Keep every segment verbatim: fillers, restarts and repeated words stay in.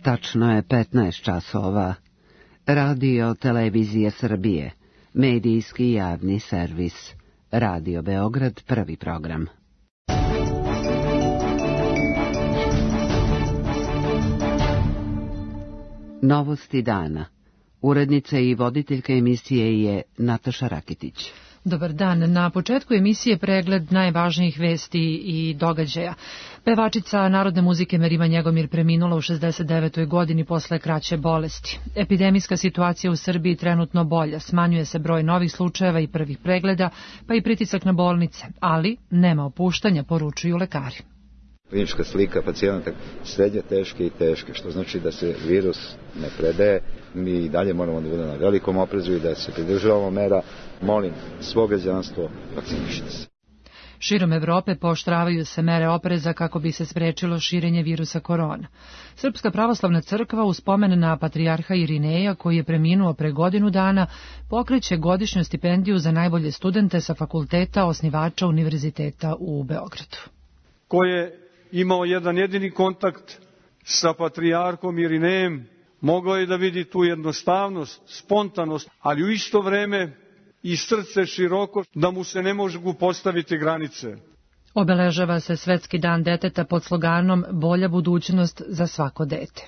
Tačno je petnaest časova. Radio Televizije Srbije, medijski javni servis. Radio Beograd, prvi program. Novosti dana. Urednica i voditeljka emisije je Nataša Rakitić. Dobar dan. Na početku emisije pregled najvažnijih vesti i događaja. Pevačica narodne muzike Merima Njegomir preminula u šezdeset devetoj godini posle kraće bolesti. Epidemijska situacija u Srbiji trenutno bolja, smanjuje se broj novih slučajeva i prvih pregleda, pa i pritisak na bolnice, ali nema opuštanja, poručuju lekari. Klinička slika pacijenata srednje teške i teške, što znači da se virus ne predaje. Mi i dalje moramo da budemo na velikom oprezu i da se pridržavamo mera. Molim svo građanstvo, vakcinišite se. Širom Evrope pooštravaju se mere opreza kako bi se sprečilo širenje virusa korona. Srpska pravoslavna crkva u spomen na patrijarha Irineja, koji je preminuo pre godinu dana, pokreće godišnju stipendiju za najbolje studente sa fakulteta osnivača Univerziteta u Beogradu. Ko je imao jedan jedini kontakt sa patrijarhom Irinejem, mogao je da vidi tu jednostavnost, spontanost, ali u isto vreme i srce široko, da mu se ne mogu postaviti granice. Obeležava se Svetski dan deteta pod sloganom Bolja budućnost za svako dete.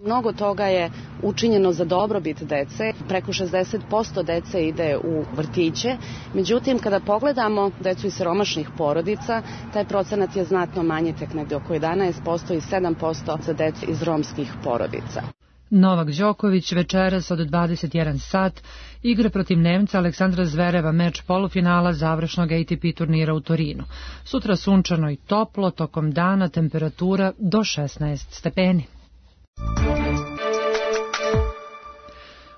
Mnogo toga je učinjeno za dobrobit dece, preko šezdeset posto dece ide u vrtiće, međutim kada pogledamo decu iz siromašnih porodica, taj procenat je znatno manji, tek negde oko jedanaest posto i sedam posto za decu iz romskih porodica. Novak Đoković večeras od dvadeset jedan sat igra protiv Nemca Aleksandra Zvereva meč polufinala završnog A T P turnira u Torinu. Sutra sunčano i toplo, tokom dana temperatura do šesnaest stepeni.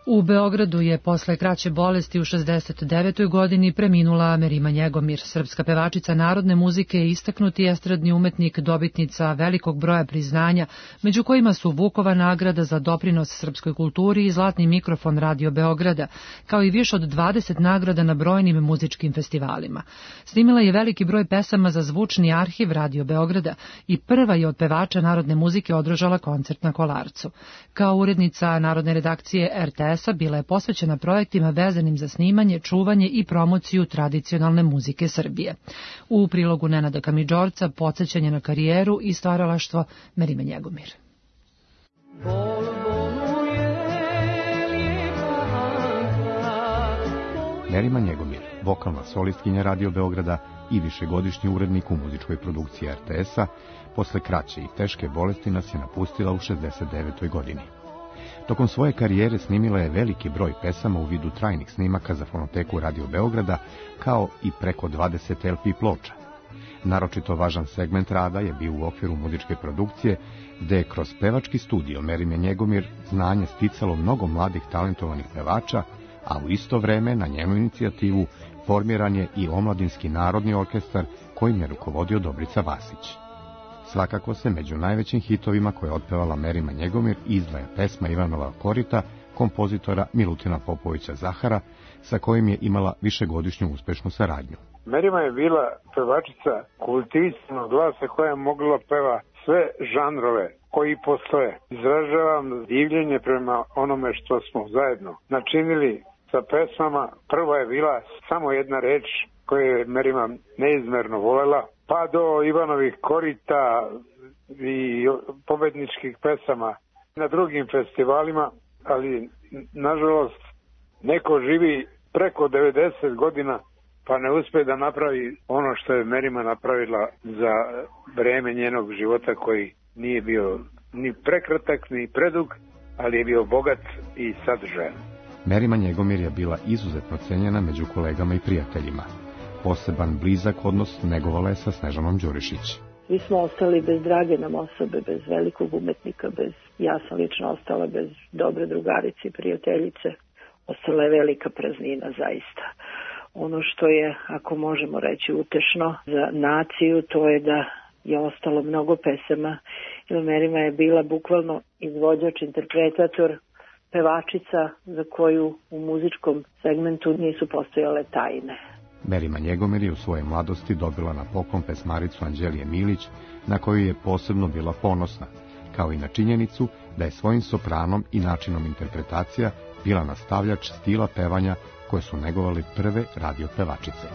U Beogradu je posle kraće bolesti u šezdeset devetoj godini preminula Merima Njegomir, srpska pevačica narodne muzike i istaknuti estradni umetnik, dobitnica velikog broja priznanja, među kojima su Vukova nagrada za doprinos srpskoj kulturi i Zlatni mikrofon Radio Beograda, kao i više od dvadeset nagrada na brojnim muzičkim festivalima. Snimila je veliki broj pesama za zvučni arhiv Radio Beograda i prva je od pevača narodne muzike održala koncert na Kolarcu. Kao urednica narodne redakcije R T S bila je posvećena projektima vezanim za snimanje, čuvanje i promociju tradicionalne muzike Srbije. U prilogu Nenada Kamidžorca podsećanje na karijeru i stvaralaštvo Merime Njegomir. Merima Njegomir, vokalna solistkinja Radio Beograda i višegodišnji urednik u muzičkoj produkciji R T S-a, posle kraće i teške bolesti nas je napustila u šezdeset devetoj godini. Tokom svoje karijere snimila je veliki broj pesama u vidu trajnih snimaka za fonoteku Radio Beograda, kao i preko dvadeset L P ploča. Naročito važan segment rada je bio u okviru muzičke produkcije, gde je kroz pevački studio Merime Njegomir znanje sticalo mnogo mladih talentovanih pevača, a u isto vreme na njenu inicijativu formiran je i Omladinski narodni orkestar kojim je rukovodio Dobrica Vasić. Svakako se među najvećim hitovima koje je otpevala Merima Njegomir izdvaja pesma Ivanova korita, kompozitora Milutina Popovića Zahara, sa kojim je imala višegodišnju uspešnu saradnju. Merima je bila pevačica kultivisanog glasa koja je mogla peva sve žanrove koji postoje. Izražavam divljenje prema onome što smo zajedno načinili sa pesmama. Prva je bila samo jedna reč koju je Merima neizmerno volela, pa do Ivanovih korita i pobedničkih pesama na drugim festivalima, ali nažalost neko živi preko devedeset godina pa ne uspe da napravi ono što je Merima napravila za vreme njenog života koji nije bio ni prekratak ni predug, ali je bio bogat i sadržajan. Merima Njegomir je bila izuzetno cenjena među kolegama i prijateljima. Poseban blizak odnos negovala je sa Snežanom Đurišić. Mi smo ostali bez drage nam osobe, bez velikog umetnika, bez, ja sam lično ostala bez dobre drugarice i prijateljice. Ostala je velika praznina zaista. Ono što je, ako možemo reći, utešno za naciju, to je da je ostalo mnogo pesama. Merima je bila bukvalno izvođač, interpretator, pevačica za koju u muzičkom segmentu nisu postojale tajne. Merima Njegomir je u svojoj mladosti dobila na poklon pesmaricu Anđelije Milić, na koju je posebno bila ponosna. kao i na činjenicu da je svojim sopranom i načinom interpretacija bila nastavljač stila pevanja koje su negovali prve radio pevačice.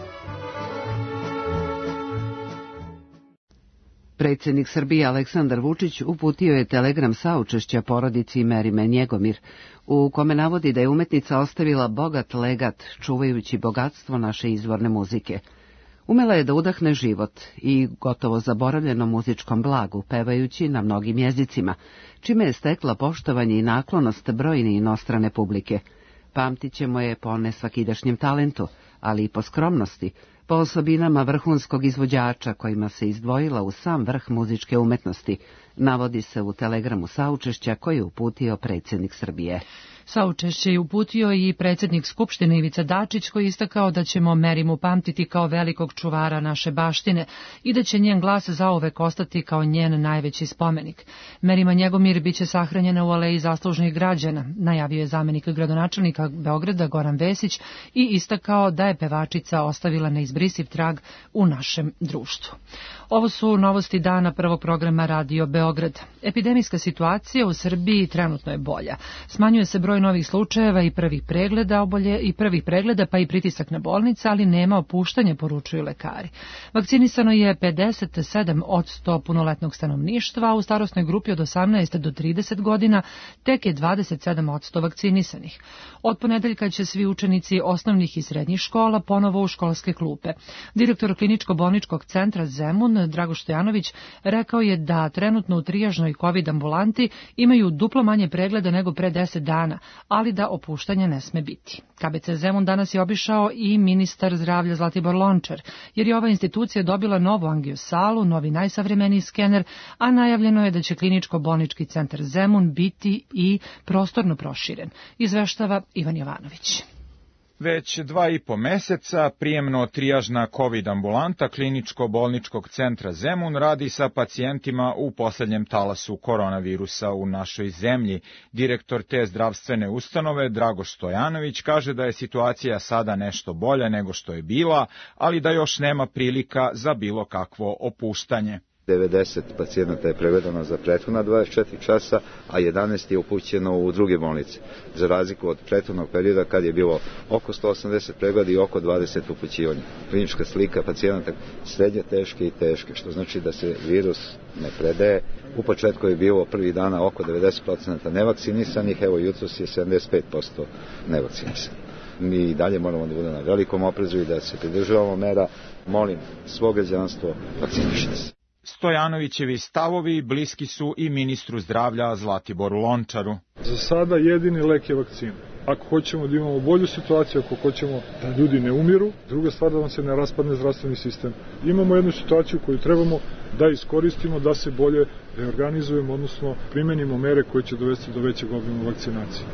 Predsjednik Srbije Aleksandar Vučić uputio je telegram saučešća porodici Merime Njegomir, u kome navodi da je umetnica ostavila bogat legat, čuvajući bogatstvo naše izvorne muzike. Umela je da udahne život i gotovo zaboravljeno muzičkom blagu, pevajući na mnogim jezicima, čime je stekla poštovanje i naklonost brojne inostrane publike. Pamtit ćemo je po nesvakidašnjem talentu, ali i po skromnosti, po osobinama vrhunskog izvođača kojima se izdvojila u sam vrh muzičke umetnosti, navodi se u telegramu saučešća koji je uputio predsjednik Srbije. Saučešće je uputio i predsjednik Skupštine Ivica Dačić, koji je istakao da ćemo Merimu pamtiti kao velikog čuvara naše baštine i da će njen glas zauvek ostati kao njen najveći spomenik. Merima Njegomir biće sahranjena u aleji zaslužnih građana, najavio je zamenik gradonačelnika Beograda Goran Vesić i istakao da je pevačica ostavila neizbrisiv trag u našem društvu. Ovo su novosti dana prvog programa Radio Beograd. Epidemijska situacija u Srbiji trenutno je bolja. Smanjuje se broj novih slučajeva i prvih pregleda obolje i prvih pregleda pa i pritisak na bolnice, ali nema opuštanja, poručuju lekari. Vakcinisano je pedeset sedam posto punoletnog stanovništva, a u starosnoj grupi od osamnaest do trideset godina tek je dvadeset sedam posto vakcinisanih. Od ponedeljka će svi učenici osnovnih i srednjih škola ponovo u školske klupe. Direktor kliničko-bolničkog centra Zemun, Drago Stojanović, rekao je da trenutno u trijažnoj COVID ambulanti imaju duplo manje pregleda nego pre deset dana, ali da opuštanja ne sme biti. K B C Zemun danas je obišao i ministar zdravlja Zlatibor Lončar, jer je ova institucija dobila novu angiosalu, novi najsavremeniji skener, a najavljeno je da će kliničko-bolnički centar Zemun biti i prostorno proširen, izveštava Ivan Jovanović. Već dva i po meseca prijemno-trijažna COVID ambulanta kliničko-bolničkog centra Zemun radi sa pacijentima u poslednjem talasu koronavirusa u našoj zemlji. Direktor te zdravstvene ustanove, Drago Stojanović, kaže da je situacija sada nešto bolja nego što je bila, ali da još nema prilika za bilo kakvo opuštanje. devedeset pacijenata je prevedeno za prethodna dvadeset četiri časa, a jedanaest je upućeno u druge bolnice. Za razliku od prethodnog perioda kad je bilo oko sto osamdeset pregleda i oko dvadeset upućivanja. Klinička slika pacijenata srednje teške i teške, što znači da se virus ne predaje. U početku je bilo prvih dana oko devedeset posto nevakcinisanih, evo jutros je sedamdeset pet posto nevakcinisanih. Mi i dalje moramo da budemo na velikom oprezu i da se pridržavamo mera. Molim svo građanstvo, vakcinišite se. Stojanovićevi stavovi bliski su i ministru zdravlja Zlatiboru Lončaru. Za sada jedini lek je vakcina. Ako hoćemo da imamo bolju situaciju, ako hoćemo da ljudi ne umiru, druga stvar da vam se ne raspadne zdravstveni sistem. Imamo jednu situaciju koju trebamo da iskoristimo, da se bolje reorganizujemo, odnosno primenimo mere koje će dovesti do većeg obima vakcinacije.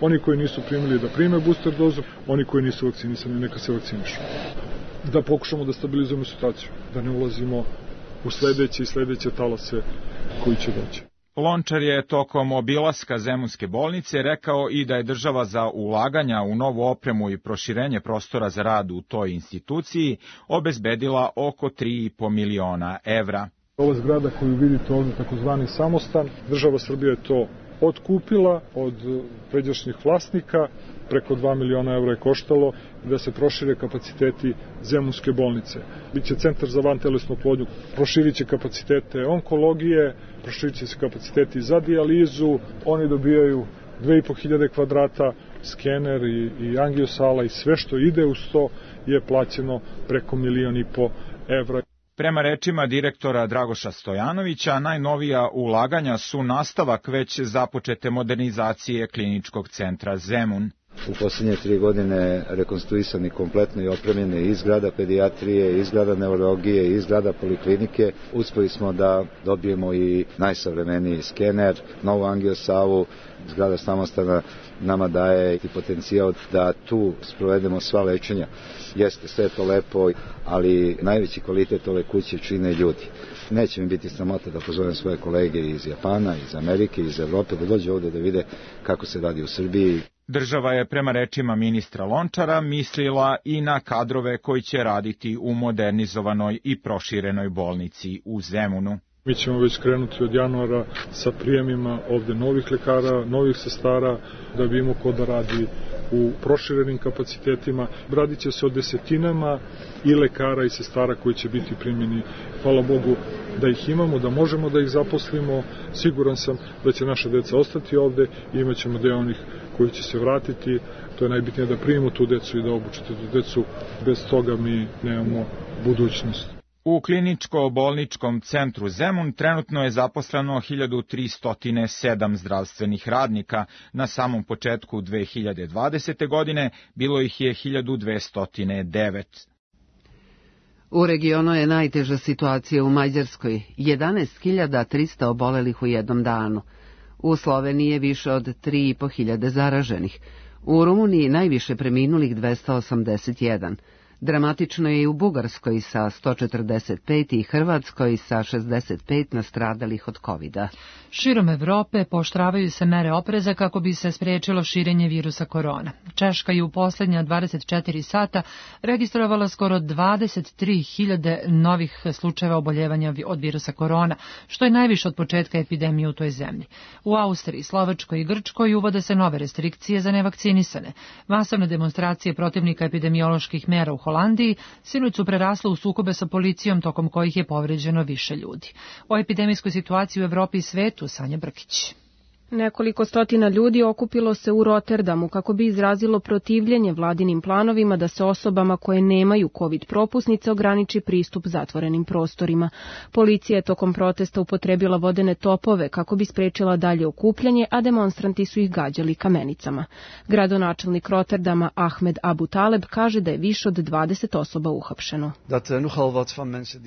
Oni koji nisu primili da prime booster dozu, oni koji nisu vakcinisani neka se vakcinišu. Da pokušamo da stabilizujemo situaciju, da ne ulazimo u sledeće i sledeće talase koji će doći. Lončar je tokom obilaska Zemunske bolnice rekao i da je država za ulaganja u novu opremu i proširenje prostora za rad u toj instituciji obezbedila oko tri i po miliona evra. Ova zgrada koju vidite ovdje, takozvani samostan, država Srbije je to otkupila od pređašnjih vlasnika, preko dva miliona evra je koštalo da se prošire kapaciteti Zemunske bolnice. Biće centar za vantelesnu oplodnju, proširit će kapacitete onkologije, proširit će se kapaciteti za dijalizu, oni dobijaju dve i po hiljade kvadrata, skener i, i angiosala i sve što ide uz to je plaćeno preko milion i po evra. Prema rečima direktora Dragoša Stojanovića, najnovija ulaganja su nastavak već započete modernizacije kliničkog centra Zemun. U posljednje tri godine rekonstruisani kompletno i opremljene i zgrada pedijatrije, i zgrada neurologije, i zgrada poliklinike. Uspeli smo da dobijemo i najsavremeniji skener, novu angiosalu, zgrada samostana nama daje i potencijal da tu sprovedemo sva lečenja. Jeste sve to lepo, ali najveći kvalitet ove kuće čine ljudi. Neće mi biti sramota da pozovem svoje kolege iz Japana, iz Amerike, iz Evrope, da dođe ovde da vide kako se radi u Srbiji. Država je prema rečima ministra Lončara mislila i na kadrove koji će raditi u modernizovanoj i proširenoj bolnici u Zemunu. Mi ćemo već krenuti od januara sa prijemima ovde novih lekara, novih sestara, da bi imao ko da radi u proširenim kapacitetima. Radit će se o desetinama i lekara i sestara koji će biti primjeni. Hvala Bogu da ih imamo, da možemo da ih zaposlimo. Siguran sam da će naša deca ostati ovde i imat ćemo deo onih koji će se vratiti. To je najbitnije da primimo tu decu i da obučite tu decu. Bez toga mi nemamo budućnost. U kliničko-bolničkom centru Zemun trenutno je zaposleno hiljadu tristo sedam zdravstvenih radnika. Na samom početku dve hiljade dvadesete. godine bilo ih je hiljadu dvesta devet. U regionu je najteža situacija u Mađarskoj, jedanaest hiljada trista obolelih u jednom danu. U Sloveniji je više od tri i po hiljade zaraženih. U Rumuniji najviše preminulih dvesta osamdeset jedan. Dramatično je i u Bugarskoj sa sto četrdeset pet i Hrvatskoj sa šezdeset pet nastradalih od kovida. Širom Evrope pooštravaju se mere opreza kako bi se spriječilo širenje virusa korona. Češka je u posljednja dvadeset četiri sata registrovala skoro dvadeset tri hiljade novih slučajeva oboljevanja od virusa korona, što je najviše od početka epidemije u toj zemlji. U Austriji, Slovačkoj i Grčkoj uvode se nove restrikcije za nevakcinisane. Masovne demonstracije protivnika epidemioloških mera u Holandiji sinoć su prerasle u sukobe sa policijom tokom kojih je povređeno više ljudi. O epidemijskoj situaciji u Evropi i svetu Sanja Brkić. Nekoliko stotina ljudi okupilo se u Rotterdamu kako bi izrazilo protivljenje vladinim planovima da se osobama koje nemaju COVID propusnice ograniči pristup zatvorenim prostorima. Policija je tokom protesta upotrebila vodene topove kako bi sprečila dalje okupljanje, a demonstranti su ih gađali kamenicama. Gradonačelnik Rotterdama Ahmed Abu Taleb kaže da je više od dvadeset osoba uhapšeno.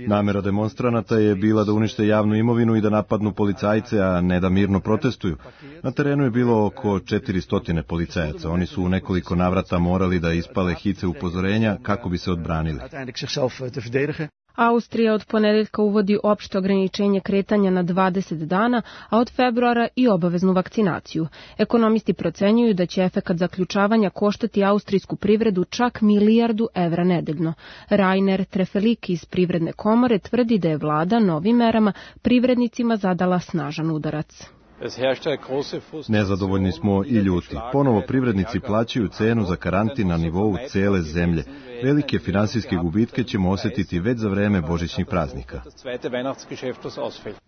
Namera demonstranata je bila da unište javnu imovinu i da napadnu policajce, a ne da mirno protestuju. Na terenu je bilo oko četiristo policajaca. Oni su u nekoliko navrata morali da ispale hice upozorenja kako bi se odbranili. Austrija od ponedeljka uvodi opšte ograničenje kretanja na dvadeset dana, a od februara i obaveznu vakcinaciju. Ekonomisti procenjuju da će efekat zaključavanja koštati austrijsku privredu čak milijardu evra nedeljno. Rainer Trefelik iz Privredne komore tvrdi da je vlada novim merama privrednicima zadala snažan udarac. Nezadovoljni smo i ljuti. Ponovo privrednici plaćaju cenu za karantin na nivou cele zemlje. Velike finansijske gubitke ćemo osjetiti već za vreme božićnih praznika.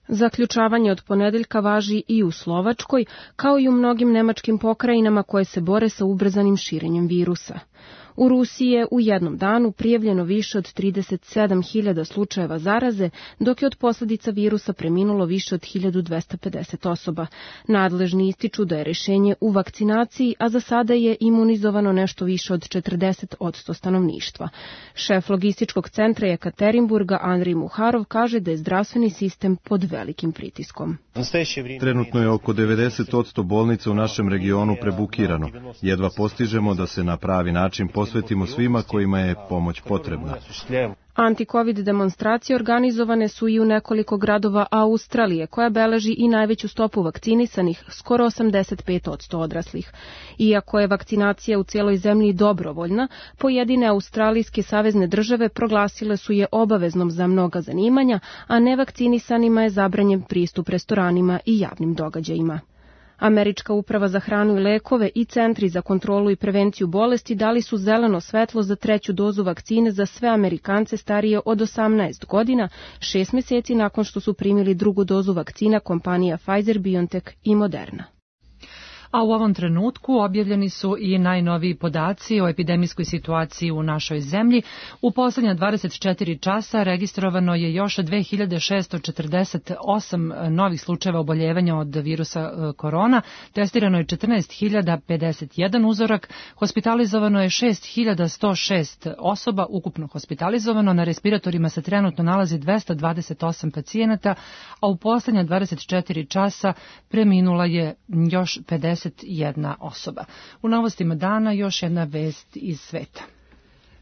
Zaključavanje od ponedeljka važi i u Slovačkoj, kao i u mnogim nemačkim pokrajinama koje se bore sa ubrzanim širenjem virusa. U Rusiji je u jednom danu prijavljeno više od trideset sedam hiljada slučajeva zaraze, dok je od posljedica virusa preminulo više od hiljadu dvesta pedeset osoba. Nadležni ističu da je rješenje u vakcinaciji, a za sada je imunizovano nešto više od četrdeset posto stanovništva. Šef logističkog centra Jekaterinburga Andrij Muharov kaže da je zdravstveni sistem pod velikim pritiskom. Trenutno je oko devedeset posto bolnica u našem regionu prebukirano. Jedva postižemo da se na pravi način posvetimo svima kojima je pomoć potrebna. Anti-Covid demonstracije organizovane su i u nekoliko gradova Australije, koja beleži i najveću stopu vakcinisanih, skoro osamdeset pet posto odraslih. Iako je vakcinacija u cijeloj zemlji dobrovoljna, pojedine australijske savezne države proglasile su je obaveznom za mnoga zanimanja, a nevakcinisanima je zabranjen pristup restoranima i javnim događajima. Američka uprava za hranu i lekove i centri za kontrolu i prevenciju bolesti dali su zeleno svetlo za treću dozu vakcine za sve Amerikance starije od osamnaest godina, šest mjeseci nakon što su primili drugu dozu vakcina kompanija Pfizer, BioNTech i Moderna. A u ovom trenutku objavljeni su i najnoviji podaci o epidemijskoj situaciji u našoj zemlji. U posljednja dvadeset četiri časa registrovano je još dve hiljade šesto četrdeset osam novih slučajeva oboljevanja od virusa korona, testirano je četrnaest hiljada pedeset jedan uzorak, hospitalizovano je šest hiljada sto šest osoba, ukupno hospitalizovano, na respiratorima se trenutno nalazi dvesta dvadeset osam pacijenata, a u posljednja dvadeset četiri časa preminula je još pedeset jedna osoba. U novostima dana još jedna vest iz sveta.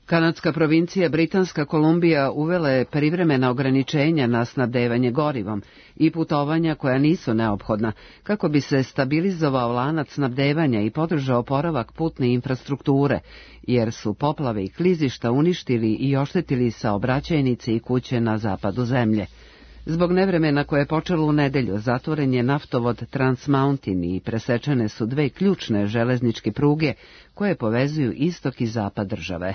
Kanadska provincija Britanska Kolumbija uvela je privremena ograničenja na snabdevanje gorivom i putovanja koja nisu neophodna, kako bi se stabilizovao lanac snabdevanja i podržao oporavak putne infrastrukture, jer su poplave i klizišta uništili i oštetili saobraćajnice i kuće na zapadu zemlje. Zbog nevremena koje je počelo u nedelju, zatvoren je naftovod Trans Mountain i presečene su dve ključne železničke pruge koje povezuju istok i zapad države.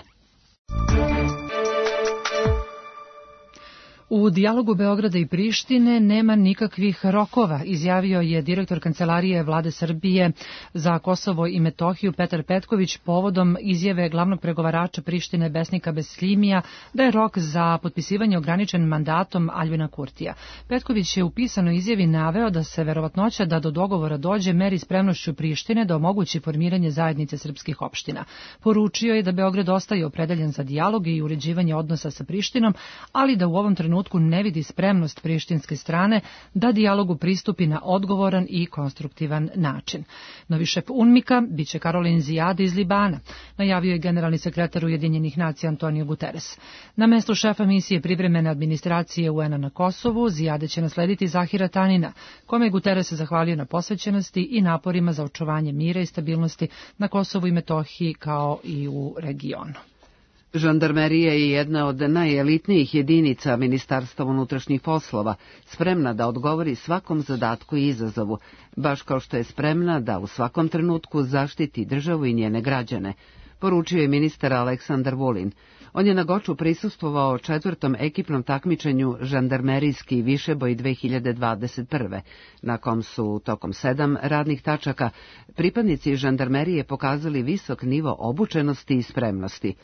U dijalogu Beograda i Prištine nema nikakvih rokova, izjavio je direktor Kancelarije Vlade Srbije za Kosovo i Metohiju Petar Petković povodom izjave glavnog pregovarača Prištine Besnika Beslimija da je rok za potpisivanje ograničen mandatom Aljbina Kurtija. Petković je u pisanoj izjavi naveo da se verovatnoća da do dogovora dođe meri spremnošću Prištine da omogući formiranje zajednice srpskih opština. Poručio je da Beograd ostaje opredeljen za dijalog i uređivanje odnosa sa Prištinom, ali da u ovom trenutku ne vidi spremnost prištinske strane da dijalogu pristupi na odgovoran i konstruktivan način. Novi šef UNMIK-a biće Karolin Zijade iz Libana, najavio je generalni sekretar Ujedinjenih nacija Antonio Guterres. Na mestu šefa misije privremene administracije U N-a na Kosovu Zijade će naslediti Zahira Tanina, kome je Guterres zahvalio na posvećenosti i naporima za očuvanje mira i stabilnosti na Kosovu i Metohiji kao i u regionu. Žandarmerija je jedna od najelitnijih jedinica Ministarstva unutrašnjih poslova, spremna da odgovori svakom zadatku i izazovu, baš kao što je spremna da u svakom trenutku zaštiti državu i njene građane, poručio je ministar Aleksandar Vulin. On je na Goču prisustvovao četvrtom ekipnom takmičenju Žandarmerijski višeboj dve hiljade dvadeset prve, na kom su tokom sedam radnih tačaka pripadnici žandarmerije pokazali visok nivo obučenosti i spremnosti.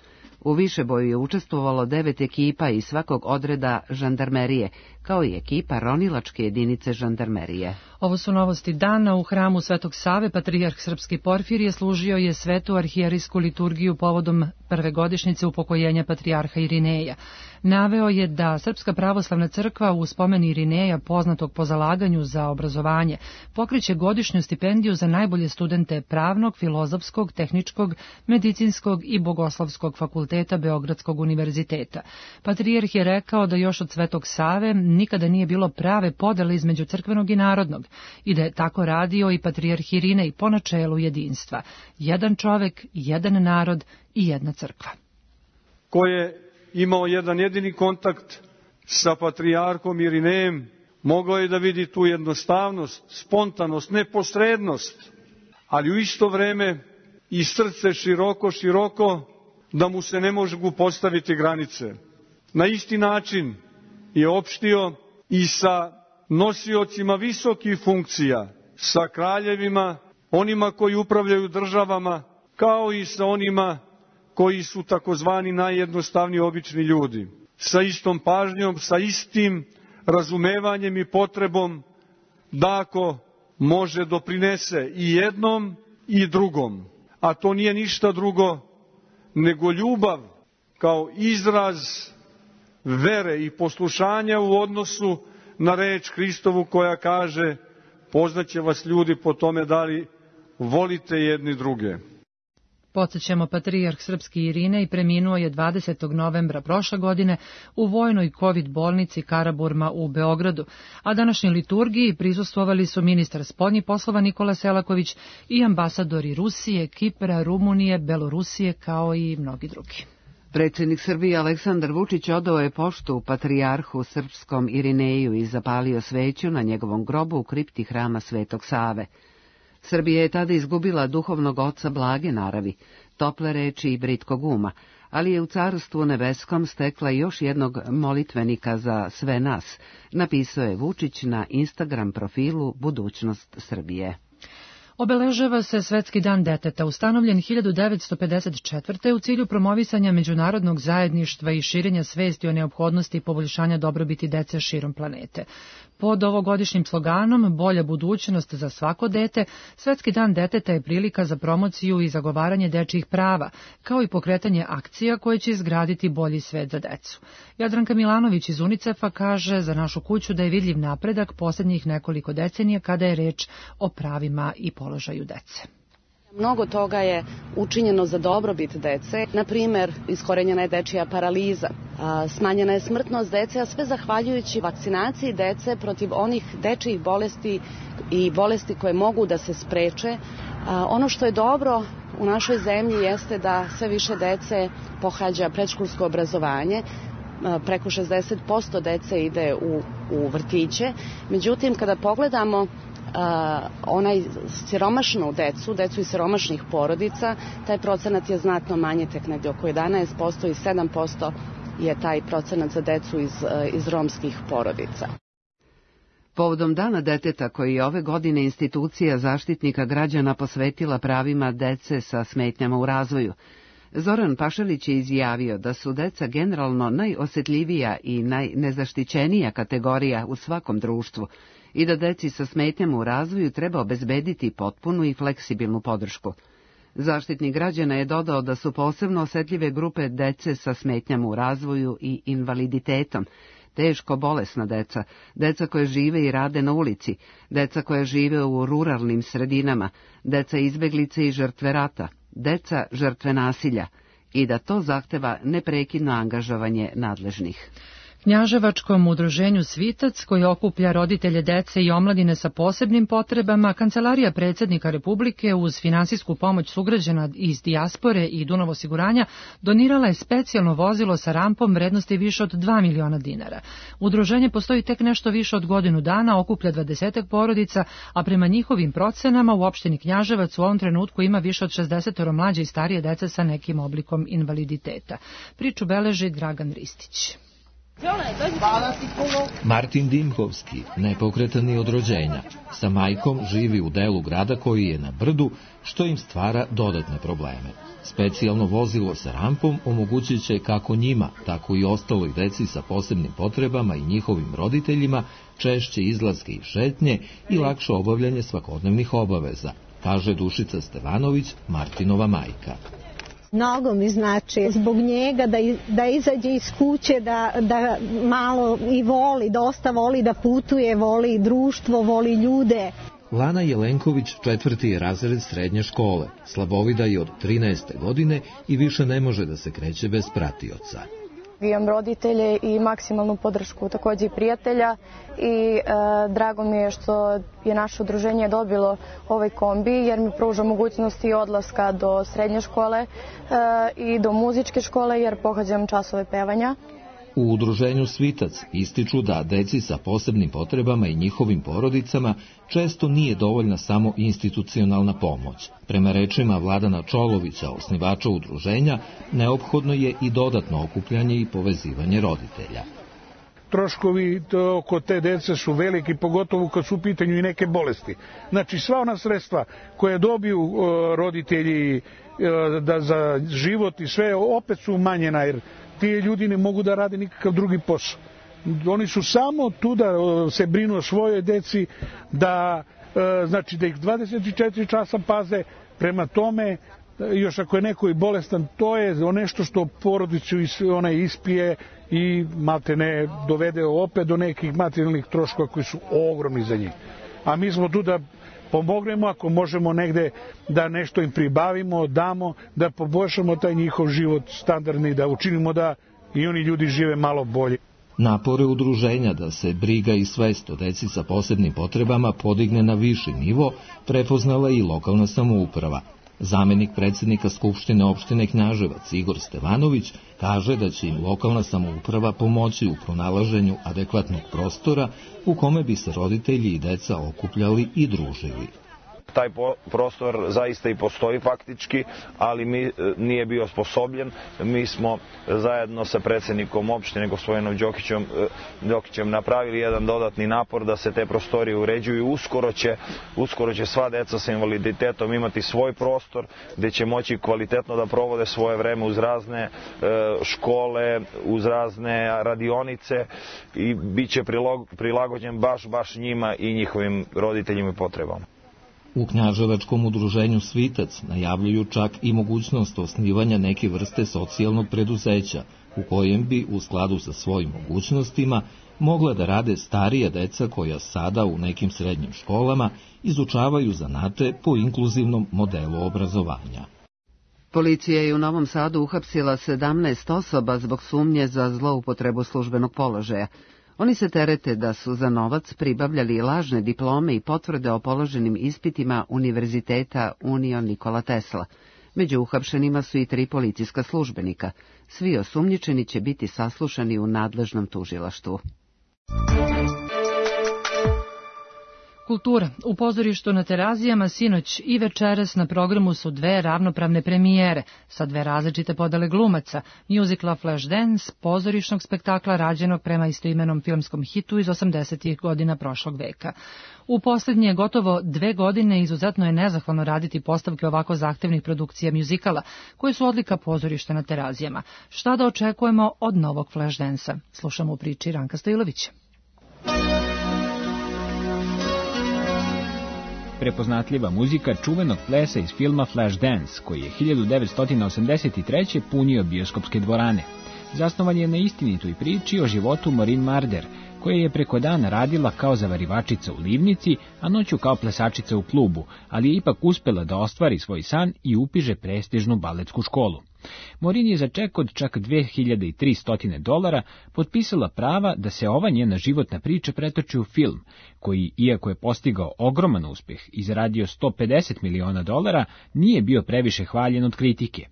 U višeboju je učestvovalo devet ekipa iz svakog odreda žandarmerije, kao i ekipa ronilačke jedinice žandarmerije. Ovo su novosti dana. U hramu Svetog Save patrijarh Srpski Porfirije služio je svetu arhijerijsku liturgiju povodom prve godišnjice upokojenja patrijarha Irineja. Naveo je da Srpska pravoslavna crkva u spomen Irineja, poznatog po zalaganju za obrazovanje, pokreće godišnju stipendiju za najbolje studente pravnog, filozofskog, tehničkog, medicinskog i bogoslovskog fakulteta Beogradskog univerziteta. Patrijarh je rekao da još od Svetog Save nikada nije bilo prave podele između crkvenog i narodnog i da je tako radio i patrijarh Irinej po načelu jedinstva. Jedan čovek, jedan narod i jedna crkva. Ko je imao jedan jedini kontakt sa patrijarhom Irinejem, mogao je da vidi tu jednostavnost, spontanost, neposrednost, ali u isto vreme i srce široko, široko, da mu se ne mogu postaviti granice. Na isti način je opštio i sa nosiocima visokih funkcija, sa kraljevima, onima koji upravljaju državama, kao i sa onima koji su takozvani najjednostavniji obični ljudi. Sa istom pažnjom, sa istim razumevanjem i potrebom da ako može doprinese i jednom i drugom. A to nije ništa drugo nego ljubav kao izraz vere i poslušanja u odnosu na reč Hristovu koja kaže: poznaće vas ljudi po tome da li volite jedni druge. Podsećamo, patrijarh Srpski Irinej preminuo je dvadesetog novembra prošle godine u vojnoj kovid bolnici Karaburma u Beogradu, a današnjoj liturgiji prisustvovali su ministar spoljnih poslova Nikola Selaković i ambasadori Rusije, Kipra, Rumunije, Belorusije kao i mnogi drugi. Predsjednik Srbije Aleksandar Vučić odao je poštu patrijarhu srpskom Irineju i zapalio sveću na njegovom grobu u kripti hrama Svetog Save. Srbija je tada izgubila duhovnog oca blage naravi, tople reči i britkog uma, ali je u Carstvu nebeskom stekla još jednog molitvenika za sve nas, napisao je Vučić na Instagram profilu Budućnost Srbije. Obeležava se Svetski dan deteta, ustanovljen hiljadu devetsto pedeset četvrte u cilju promovisanja međunarodnog zajedništva i širenja svesti o neophodnosti i poboljšanja dobrobiti dece širom planete. Pod ovogodišnjim sloganom Bolja budućnost za svako dete, Svetski dan deteta je prilika za promociju i zagovaranje dečjih prava, kao i pokretanje akcija koje će izgraditi bolji svet za decu. Jadranka Milanović iz UNICEF-a kaže za našu kuću da je vidljiv napredak posljednjih nekoliko decenija kada je reč o pravima i položaju dece. Mnogo toga je učinjeno za dobrobit dece, na primer iskorenjena je dečija paraliza, smanjena je smrtnost dece, a sve zahvaljujući vakcinaciji dece protiv onih dečijih bolesti i bolesti koje mogu da se spreče. Ono što je dobro u našoj zemlji jeste da sve više dece pohađa predškolsko obrazovanje. preko šezdeset posto dece ide u, u vrtiće. Međutim, kada pogledamo Uh, onaj siromašnu decu, decu iz siromašnih porodica, taj procenat je znatno manji, tek negdje oko jedanaest posto i sedam posto je taj procenat za decu iz, uh, iz romskih porodica. Povodom Dana deteta koji je ove godine institucija Zaštitnika građana posvetila pravima dece sa smetnjama u razvoju, Zoran Pašalić je izjavio da su deca generalno najosjetljivija i najnezaštićenija kategorija u svakom društvu i da deci sa smetnjama u razvoju treba obezbediti potpunu i fleksibilnu podršku. Zaštitnik građana je dodao da su posebno osjetljive grupe dece sa smetnjama u razvoju i invaliditetom, teško bolesna deca, deca koje žive i rade na ulici, deca koje žive u ruralnim sredinama, deca izbeglice i žrtve rata, deca žrtve nasilja i da to zahteva neprekidno angažovanje nadležnih. Knjaževačkom udruženju Svitac, koji okuplja roditelje dece i omladine sa posebnim potrebama, Kancelarija predsjednika Republike uz finansijsku pomoć sugrađana iz dijaspore i Dunav osiguranja donirala je specijalno vozilo sa rampom vrednosti više od dva miliona dinara. Udruženje postoji tek nešto više od godinu dana, okuplja dvadesetak porodica, a prema njihovim procenama u opštini Knjaževac u ovom trenutku ima više od šezdeset mlađe i starije dece sa nekim oblikom invaliditeta. Priču beleži Dragan Ristić. Martin Dimkovski, nepokretan i od rođenja, sa majkom živi u delu grada koji je na brdu, što im stvara dodatne probleme. Specijalno vozilo sa rampom omogućit će kako njima, tako i ostaloj deci sa posebnim potrebama i njihovim roditeljima češće izlaske i šetnje i lakše obavljanje svakodnevnih obaveza, kaže Dušica Stevanović, Martinova majka. Mnogo mi znači zbog njega da, da izađe iz kuće, da, da malo i voli, dosta voli da putuje, voli društvo, voli ljude. Lana Jelenković četvrti je razred srednje škole, slabovida je od trinaeste godine i više ne može da se kreće bez pratioca. Imam roditelje i maksimalnu podršku, također i prijatelja i e, drago mi je što je naše udruženje dobilo ovaj kombi jer mi pruža mogućnosti odlaska do srednje škole e, i do muzičke škole jer pohađam časove pevanja. U udruženju Svitac ističu da deci sa posebnim potrebama i njihovim porodicama često nije dovoljna samo institucionalna pomoć. Prema rečima Vladana Čolovića, osnivača udruženja, neophodno je i dodatno okupljanje i povezivanje roditelja. Troškovi oko te dece su veliki, pogotovo kad su u pitanju i neke bolesti. Znači sva ona sredstva koje dobiju roditelji da za život i sve opet su umanjena jer ti ljudi ne mogu da rade nikakav drugi posao. Oni su samo tu da se brinu o svojoj deci, da, znači, da ih dvadeset četiri časa paze, prema tome, još ako je neko i bolestan, to je nešto što porodicu ona ispije i malte ne dovede opet do nekih materijalnih troškova koji su ogromni za njih. A mi smo tu da pomognemo, ako možemo negde da nešto im pribavimo, damo, da poboljšamo taj njihov život standardni, da učinimo da i oni ljudi žive malo bolje. Napore udruženja da se briga i svest o deci sa posebnim potrebama podigne na viši nivo prepoznala i lokalna samouprava. Zamenik predsjednika Skupštine opštine Knjaževac Igor Stevanović kaže da će im lokalna samouprava pomoći u pronalaženju adekvatnog prostora u kome bi se roditelji i deca okupljali i družili. Taj prostor zaista i postoji faktički, ali mi nije bio osposobljen. Mi smo zajedno sa predsjednikom opštine gospodinom Đokićem, Đokićem napravili jedan dodatni napor da se te prostorije uređuju. Uskoro će, uskoro će sva deca sa invaliditetom imati svoj prostor gdje će moći kvalitetno da provode svoje vreme uz razne škole, uz razne radionice i bit će prilagođen baš, baš njima i njihovim roditeljima i potrebama. U Knjaževačkom udruženju Svitac najavljuju čak i mogućnost osnivanja neke vrste socijalnog preduzeća, u kojem bi, u skladu sa svojim mogućnostima, mogla da rade starija deca koja sada u nekim srednjim školama izučavaju zanate po inkluzivnom modelu obrazovanja. Policija je u Novom Sadu uhapsila sedamnaest osoba zbog sumnje za zloupotrebu službenog položaja. Oni se terete da su za novac pribavljali lažne diplome i potvrde o položenim ispitima Univerziteta Union Nikola Tesla. Među uhapšenima su i tri policijska službenika. Svi osumnjičeni će biti saslušani u nadležnom tužilaštvu. Kultura. U pozorištu na Terazijama sinoć i večeras na programu su dve ravnopravne premijere sa dve različite podele glumaca, muzikla Flashdance, pozorišnog spektakla rađenog prema istoimenom filmskom hitu iz osamdesetih godina prošlog veka. U posljednje gotovo dve godine izuzetno je nezahvalno raditi postavke ovako zahtevnih produkcija muzikala, koje su odlika pozorišta na Terazijama. Šta da očekujemo od novog Flashdance-a? Slušamo u priči Ranka Stojlovića. Prepoznatljiva muzika čuvenog plesa iz filma Flashdance, koji je hiljadu devetsto osamdeset treće punio bioskopske dvorane. Zasnovan je na istinitoj priči o životu Maureen Marder, koja je preko dana radila kao zavarivačica u livnici, a noću kao plesačica u klubu, ali je ipak uspela da ostvari svoj san i upiše prestižnu baletsku školu. Maureen je za ček od čak dve hiljade tristo dolara potpisala prava da se ova njena životna priča pretoči u film, koji, iako je postigao ogroman uspeh i zaradio sto pedeset miliona dolara, nije bio previše hvaljen od kritike.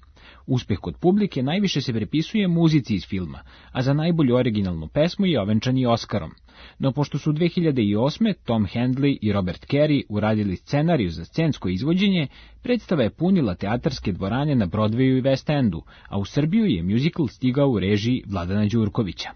Uspeh kod publike najviše se prepisuje muzici iz filma, a za najbolju originalnu pesmu je ovenčan i Oskarom. No pošto su dve hiljade osme. Tom Handley i Robert Carey uradili scenariju za scensko izvođenje, predstava je punila teatarske dvorane na Broadwayu i West Endu, a u Srbiju je muzikl stigao u režiji Vladana Đurkovića.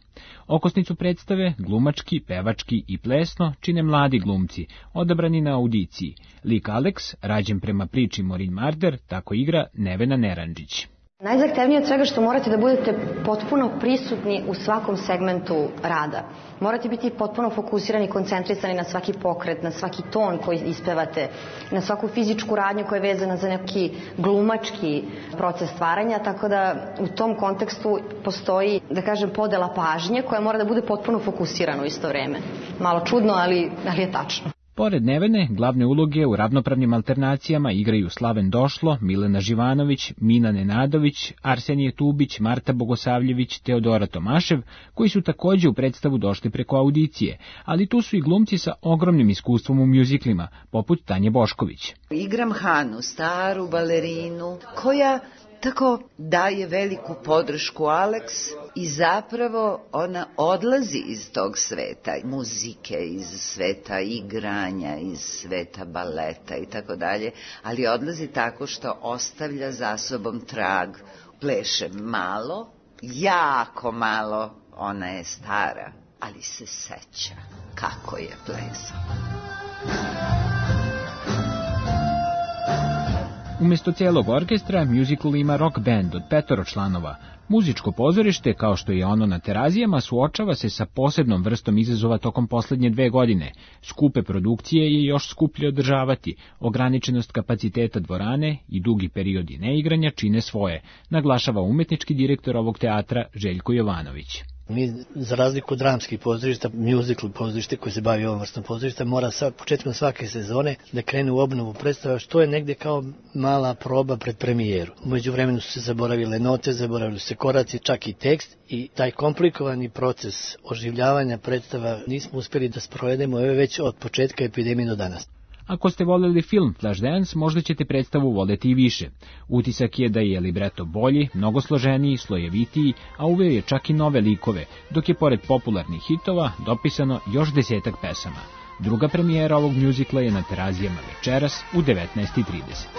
Okosnicu predstave, glumački, pevački i plesno, čine mladi glumci, odabrani na audiciji. Lik Alex, rađen prema priči Maureen Marder, tako igra Nevena Neranđić. Najzahtevnije od svega što morate da budete potpuno prisutni u svakom segmentu rada. Morate biti potpuno fokusirani i koncentrisani na svaki pokret, na svaki ton koji ispevate, na svaku fizičku radnju koja je vezana za neki glumački proces stvaranja, tako da u tom kontekstu postoji, da kažem, podela pažnje koja mora da bude potpuno fokusirana u isto vreme. Malo čudno, ali, ali je tačno. Pored Nevene, glavne uloge u ravnopravnim alternacijama igraju Slaven Došlo, Milena Živanović, Mina Nenadović, Arsenije Tubić, Marta Bogosavljević, Teodora Tomašev, koji su takođe u predstavu došli preko audicije, ali tu su i glumci sa ogromnim iskustvom u mjuziklima, poput Tanje Bošković. Igram Hanu, staru balerinu, koja tako daje veliku podršku Alex i zapravo ona odlazi iz tog sveta, muzike, iz sveta igranja, iz sveta baleta i tako dalje, ali odlazi tako što ostavlja za sobom trag. Pleše malo, jako malo, ona je stara, ali se seća kako je plesala. Umesto celog orkestra, muzikl ima rock band od petoro članova. Muzičko pozorište, kao što je ono na Terazijama, suočava se sa posebnom vrstom izazova tokom poslednje dve godine. Skupe produkcije je još skuplje održavati, ograničenost kapaciteta dvorane i dugi periodi neigranja čine svoje, naglašava umetnički direktor ovog teatra Željko Jovanović. Mi, za razliku od dramskih pozorišta, muzikl pozorište koji se bavi ovom vrstom pozorišta, mora sa početkom svake sezone da krene u obnovu predstava, što je negde kao mala proba pred premijeru. Umeđu vremenu su se zaboravile note, zaboravili su se koraci, čak i tekst, i taj komplikovani proces oživljavanja predstava nismo uspjeli da sprovedemo već od početka epidemije do danas. Ako ste voljeli film Flashdance, možda ćete predstavu voljeti i više. Utisak je da je libreto bolji, mnogo složeniji, slojevitiji, a uveo je čak i nove likove, dok je pored popularnih hitova dopisano još desetak pesama. Druga premijera ovog mjuzikla je na Terazijama večeras u devetnaest i trideset.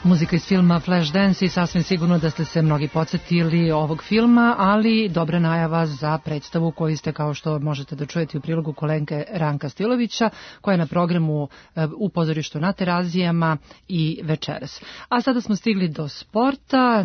Muzika iz filma Flashdance i sasvim sigurno da ste se mnogi podsjetili ovog filma, ali dobra najava za predstavu koju ste, kao što možete da čujete u prilogu kolenke Ranka Stilovića, koja je na programu u pozorištu na Terazijama i večeras. A sada smo stigli do sporta.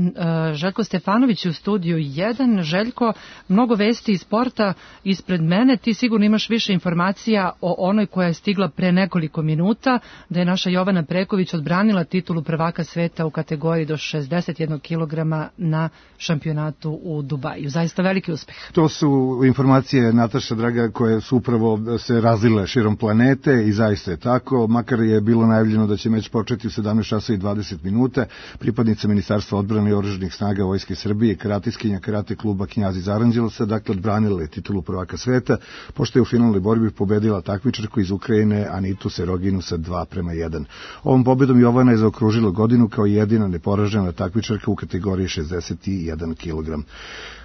Željko Stefanović u studiju jedan. Željko, mnogo vesti iz sporta ispred mene. Ti sigurno imaš više informacija o onoj koja je stigla pre nekoliko minuta, da je naša Jovana Preković odbranila titulu prvaka sveta u kategoriji do šezdeset jednog kilograma na šampionatu u Dubaju. Zaista veliki uspeh. To su informacije, Nataša draga, koje su upravo se razlile širom planete i zaista je tako. Makar je bilo najavljeno da će meč početi u sedamnaest časova i dvadeset minuta. Pripadnica Ministarstva odbrane i oružanih snaga Vojske Srbije, karatiskinja karate kluba Knjaz iz Aranđelovca, dakle odbranila je titulu prvaka sveta, pošto je u finalnoj borbi pobedila takmičarku iz Ukrajine Anitu Seroginu sa dva prema jedan. Ovom pobedom Jovana je zaokružila godinu godinu kao jedina neporažena takmičarka u kategoriji šezdeset jedan kilogram.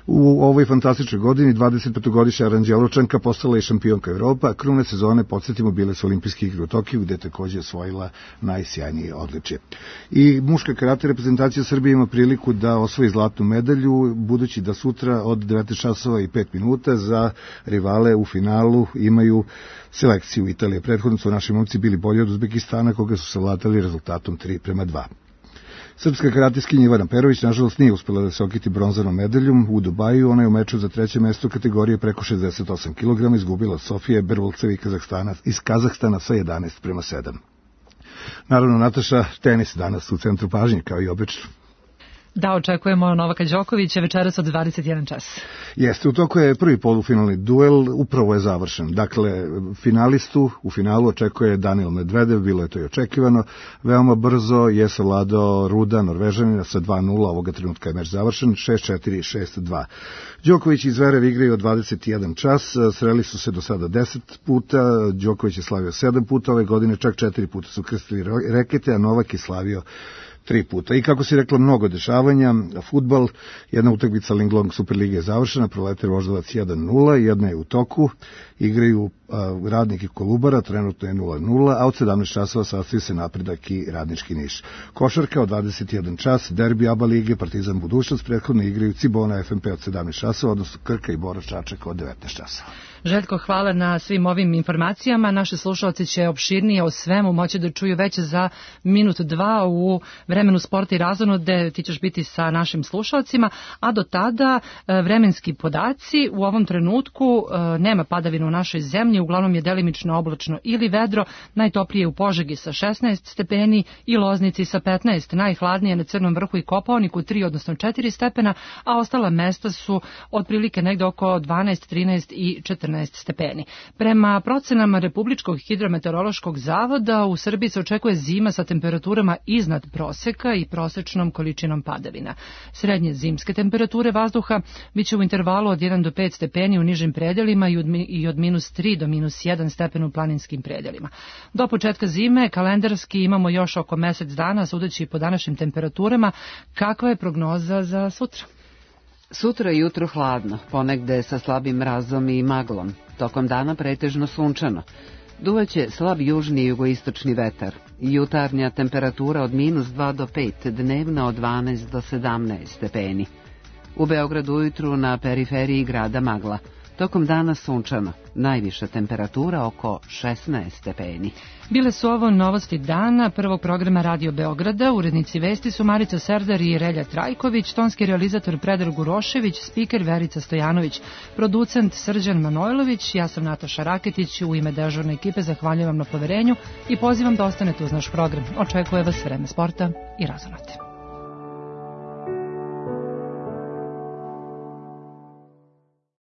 U ovoj fantastičnoj godini dvadesetpetogodišnja Aranđelovčanka postala je šampionka Evropa, krune sezone, podsjetimo, bile su olimpijske igre u Tokiju, gde je takođe osvojila najsjajnije odličje. I muška karate reprezentacija Srbije ima priliku da osvoji zlatnu medalju, budući da sutra od devetnaest časova i pet minuta za rivale u finalu imaju selekciju Italije. Prethodno su naši momci bili bolji od Uzbekistana, koga su savladali rezultatom tri prema dva. Srpska karatiskinja Ivana Perović nažalost nije uspela da se okiti bronzanom medaljom u Dubaju. Ona je u meču za treće mesto kategorije preko šezdeset osam kilograma izgubila od Sofije Bervolcevi iz Kazahstana sa jedanaest prema sedam. Naravno, Nataša, tenis danas u centru pažnje, kao i obično. Da, očekujemo Novaka Đokovića večeras od dvadeset jedan čas. Jeste, u toku je prvi polufinalni duel, upravo je završen. Dakle, finalistu u finalu očekuje Daniel Medvedev, bilo je to i očekivano. Veoma brzo je savladao Ruda, Norvežanina, sa dva nula, ovoga trenutka je meč završen, šest četiri, šest dva. Đoković i Zverev igraju od dvadeset jedan čas, sreli su se do sada deset puta, Đoković je slavio sedam puta ove godine, čak četiri puta su krstili rekete, a Novak je slavio tri puta. I kako si rekla, mnogo dešavanja, fudbal, jedna utakmica Linglong Superlige je završena, Proletar Voždovac jedan nula, jedna je u toku, igraju a, Radnik i Kolubara, trenutno je nula nula, a od sedamnaest časova sastoji se Napredak i Radnički Niš. Košarka od dvadeset jedan čas, derbi ABA lige, Partizan Budućnost, prethodno igraju Cibona F M P od sedamnaest časova, odnosno Krka i Bora Čačak od devetnaest časova. Željko, hvala na svim ovim informacijama. Naši slušalci će opširnije o svemu moći da čuju već za minut dva u vremenu sporta i razonode. Ti ćeš biti sa našim slušalcima, a do tada vremenski podaci. U ovom trenutku nema padavina u našoj zemlji, uglavnom je delimično oblačno ili vedro, najtoplije u Požegi sa šesnaest stepeni i Loznici sa petnaest, najhladnije na Crnom vrhu i Kopaoniku tri, odnosno četiri stepena, a ostala mesta su otprilike negde oko dvanaest, trinaest i četrnaest stepeni. Prema procenama Republičkog hidrometeorološkog zavoda u Srbiji se očekuje zima sa temperaturama iznad proseka i prosečnom količinom padavina. Srednje zimske temperature vazduha biće u intervalu od jedan do pet stepeni u nižim predelima i od minus tri do minus jedan stepen u planinskim predelima. Do početka zime kalendarski imamo još oko mesec dana, sudeći po današnjim temperaturama. Kakva je prognoza za sutra? Sutra jutro hladno, ponegde sa slabim mrazom i maglom. Tokom dana pretežno sunčano. Duvaće slab južni i jugoistočni vetar. Jutarnja temperatura od minus dva do pet, dnevna od dvanaest do sedamnaest stepeni. U Beogradu ujutru na periferiji grada magla. Tokom dana sunčano, najviša temperatura oko šesnaest stepeni. Bile su ovo novosti dana prvog programa Radio Beograda. Urednici vesti su Marica Serdar i Relja Trajković, tonski realizator Predrag Gurošević, spiker Verica Stojanović, producent Srđan Manojlović, ja sam Nataša Raketić. U ime dežurne ekipe zahvaljujem vam na poverenju i pozivam da ostanete uz naš program. Očekuje vas vreme sporta i razonode.